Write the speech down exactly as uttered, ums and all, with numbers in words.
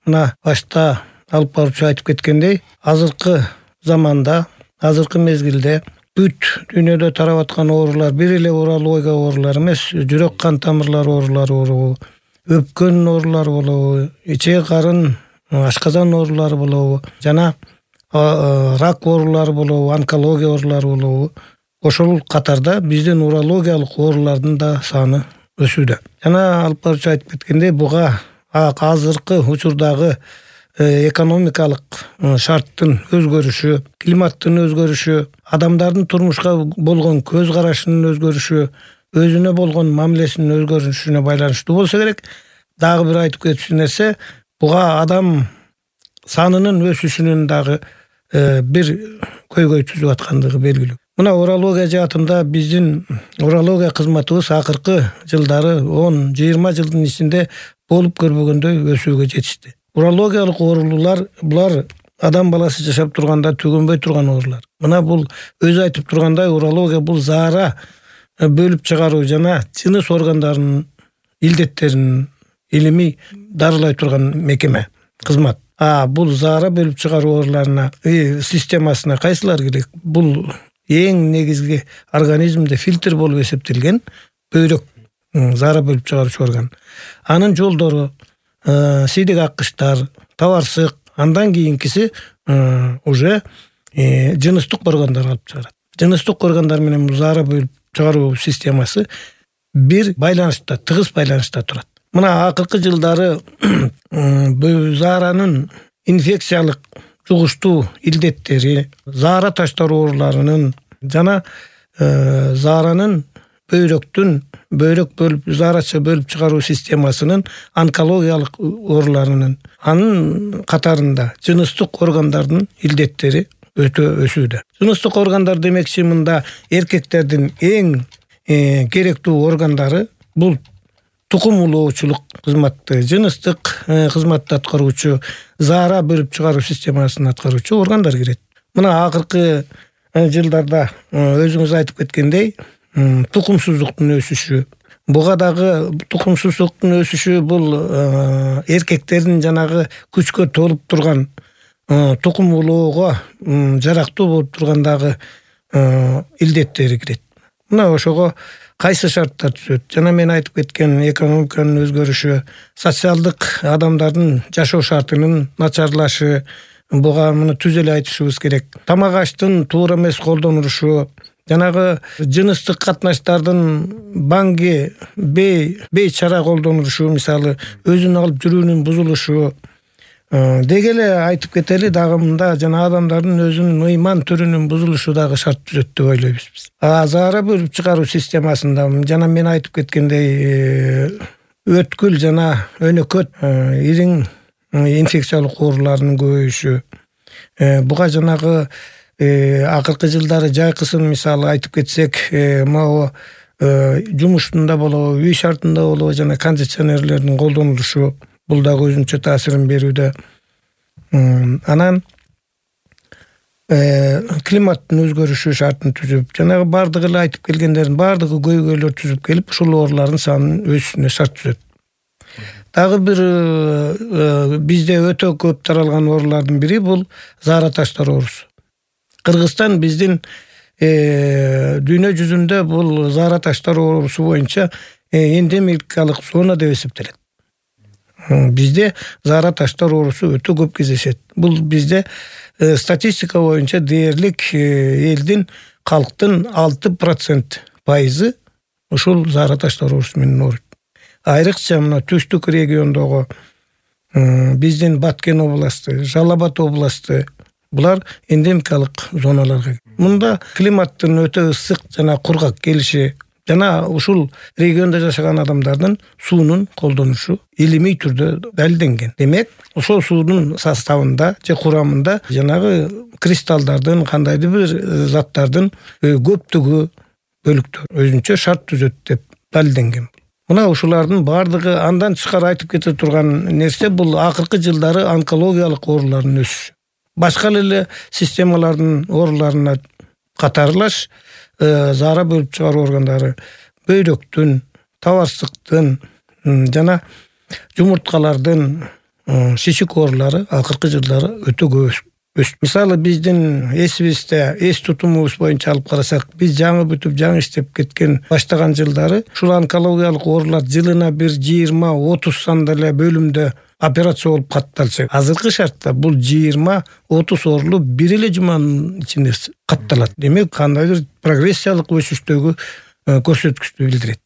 мына башта алып баруучу айтып кеткендей, азыркы заманда, азыркы мезгилде бүт дүйнөдө тарап аткан оорулар бир эле урология оорулары эмес, жүрөк кан тамырлары оорулары болобу, өпкөн оорулары болобу, ичек карын, ашказан оорулары болобу, жана рак оорулары болобу, онкология оорулары болобу. Ошол катарда биздин урологиялык оорулардын да саны өсүүдө. Жана алып баруучу айтып кеткендей, буга азыркы учурдагы экономикалык шарттын өзгөрүшү, климаттын өзгөрүшү, адамдардын турмушка болгон көз карашынын өзгөрүшү, өзүнө болгон мамилесинин өзгөрүшүнө байланыштуу болсо керек. Дагы бир айтып кетчү нерсе, буга адам санынын өсүшүнүн дагы бир көйгөй түзүп аткандыгы белгилүү. Мына урология жаатында биздин урология кызматыбыз акыркы жылдары он жыйырма жылдын ичинде болуп көрбөгөндөй өсүүгө жетишти. Урологиялык оорулуулар булар адам баласы жашап турганда түгөнбөй турган оорулар. Мына бул өзү айтып тургандай, урология бул заара бөлүп чыгаруу жана жыныс органдарынын илдеттерин илимий дарылай турган мекеме, кызмат. А бул заара бөлүп чыгаруу ооруларына системасына кайсылар кирет? Бул эң негизги организмде фильтр болуп эсептелген бөйрөк, заара бөлүп чыгаруучу орган. Анын жолдору, сийдик аккычтар, табарсык, андан кийинкиси уже жыныстык органдар алып чыгарат. Жыныстык органдар менен заара бөлүп чыгаруу системасы бир байланышта, тыгыз байланышта турат. Мына акыркы жылдары зааранын инфекциялык жугуштуу илдеттери, заара таштар ооруларынын жана зааранын бөйрөктүн бөйрөк бөлүп, заарача бөлүп чыгаруу системасынын онкологиялык ооруларынын, анын катарында жыныстык органдардын илдеттери өтө өсүүдө. Жыныстык органдар демекчи, мында эркектердин эң керектүү органдары бул тукум улоочулук кызматты, жыныстык кызматты аткаруучу, заара бөлүп чыгаруу системасын аткаруучу органдар кирет. Мына акыркы жылдарда өзүңүз айтып кеткендей, тукумсуздуктун өсүшү, буга дагы тукумсуздуктун өсүшү бул эркектердин жанагы күчкө толуп турган, тукум улоого жарактуу болуп тургандагы илдеттери кирет. Мына ошого кайсы шарттар түзөт? Жана мен айтып кеткен экономиканын өзгөрүшү, социалдык адамдардын жашоо шартынын начарлашы, буга муну түз эле айтышыбыз керек. Тамак аштын туура эмес колдонулушу, жанагы жыныстык катнаштардын баңги бей бейчара колдонулушу, мисалы өзүн алып жүрүүнүн бузулушу, деги эле айтып кетели, дагы мында жана адамдардын өзүнүн ыйман түрүнүн бузулушу дагы шарт түзөт деп ойлойбуз биз. А заара бөлүп чыгаруу системасында жана мен айтып кеткендей, өткүл жана өнөкөт ириң инфекциялык ооруларынын көбөйүшү, буга жанагы акыркы жылдары жайкысын мисалы айтып кетсек, могу жумуштунда болобу, үй шартында болобу, жана кондиционерлердин колдонулушу бул дагы өзүнчө таасирин берүүдө. Анан климаттын өзгөрүшү шартын түзүп, жанагы бардыгы эле айтып келгендердин бардыгы көйгөйлөр түзүп келип, ушул оорулардын санынын өсүшүнө шарт түзөт. Дагы бир бизде өтө көп таралган оорулардын бири бул заара таштар оорусу. Кыргызстан биздин дүйнө жүзүндө бул заара таштар оорусу боюнча эндемикалык зона деп эсептелет. Бизде заара таштар оорусу өтө көп кездешет. Бул бизде статистика боюнча дээрлик элдин калктын алты процент пайызы ушул заара таштар оорусу менен ооруйт. Айрыкча мына түштүк региондогу биздин Баткен областы, Жалал Абад областы, булар эндемикалык зоналарга. Мында климаттын өтө ысык жана кургак келиши жана ушул региондо жашаган адамдардын суунун колдонушу илимий түрдө далилденген. Демек, ошол суунун составында же курамында жанагы кристаллдардын, кандайдыр бир заттардын көптүгү бөлүктөр өзүнчө шарт түзөт деп далилденген. Мына ушулардын бардыгы андан тышкары айтып кете турган нерсе бул акыркы жылдары онкологиялык оорулардын өсүшү. Башка эле системалардын ооруларына катарлаш заара бөлүп чыгаруу органдары бөйрөктүн, табарсыктын жана жумурткалардын шишик оорулары акыркы жылдары өтө көп өстү. Мисалы биздин эсибизде эс тутумубуз боюнча алып карасак, биз жаңы бүтүп жаңы иштеп кеткен баштаган жылдары ушул онкологиялык оорулар жылына бир жыйырма отуз санда эле бөлүмдө операция болуп катталчу. Азыркы шартта бул жыйырма отуз оорулу бир эле жуманын ичинде катталат. Демек, кандайдыр прогрессиялык өсүштөгү көрсөткүчтү билдирет.